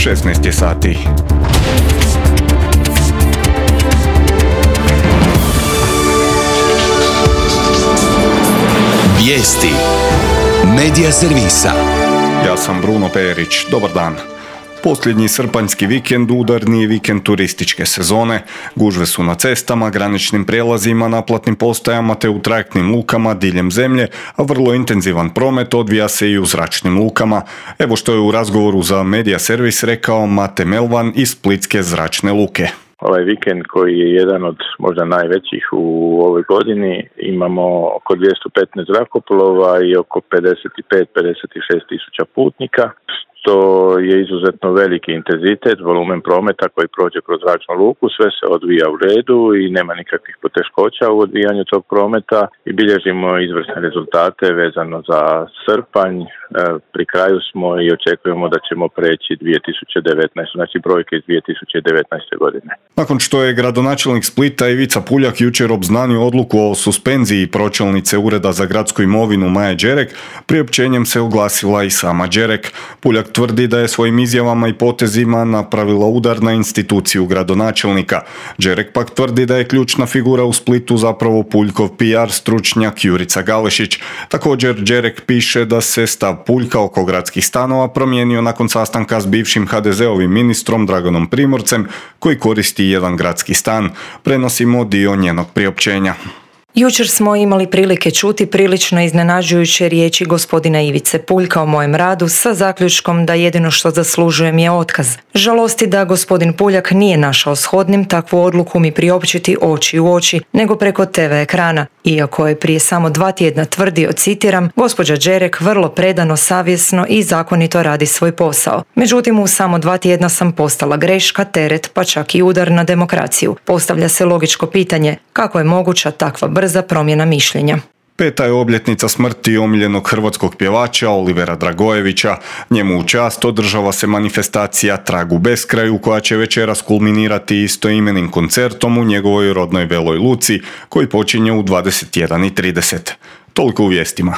16 je sati. Vijesti Medija servisa. Ja sam Bruno Perić. Dobar dan. Posljednji srpanjski vikend udarni je vikend turističke sezone. Gužve su na cestama, graničnim prijelazima, naplatnim postajama te u trajektnim lukama diljem zemlje, a vrlo intenzivan promet odvija se i u zračnim lukama. Evo što je u razgovoru za Medija servis rekao Mate Melvan iz Splitske zračne luke. Ovaj vikend koji je jedan od možda najvećih u ovoj godini, imamo oko 215 zrakoplova i oko 55-56 tisuća putnika. To je izuzetno veliki intenzitet, volumen prometa koji prođe kroz zračnu luku, sve se odvija u redu i nema nikakvih poteškoća u odvijanju tog prometa i bilježimo izvrsne rezultate vezano za srpanj. Pri kraju smo i očekujemo da ćemo preći 2019, znači brojke iz 2019. godine. Nakon što je gradonačelnik Splita Ivica Puljak jučer obznanio odluku o suspenziji pročelnice Ureda za gradsku imovinu Maje Đerek, priopćenjem se oglasila i sama Đerek. Puljak tvrdi da je svojim izjavama i potezima napravila udar na instituciju gradonačelnika. Đerek pak tvrdi da je ključna figura u Splitu zapravo Puljkov PR stručnjak Jurica Galešić. Također Đerek piše da se stav Puljka oko gradskih stanova promijenio nakon sastanka s bivšim HDZ-ovim ministrom Draganom Primorcem koji koristi jedan gradski stan. Prenosimo dio njenog priopćenja. Jučer smo imali prilike čuti prilično iznenađujuće riječi gospodina Ivice Puljka o mojem radu sa zaključkom da jedino što zaslužujem je otkaz. Žalosti da gospodin Puljak nije našao shodnim takvu odluku mi priopćiti oči u oči, nego preko TV ekrana. Iako je prije samo 2 tjedna tvrdio, citiram, gospođa Đerek vrlo predano, savjesno i zakonito radi svoj posao. Međutim, u samo 2 tjedna sam postala greška, teret, pa čak i udar na demokraciju. Postavlja se logičko pitanje, kako je moguća takva brza promjena mišljenja. 5. je obljetnica smrti omiljenog hrvatskog pjevača Olivera Dragojevića. Njemu u čast održava se manifestacija Trag u beskraju koja će večeras kulminirati istoimenim koncertom u njegovoj rodnoj Veloj Luci koji počinje u 21:30. Toliko u vijestima.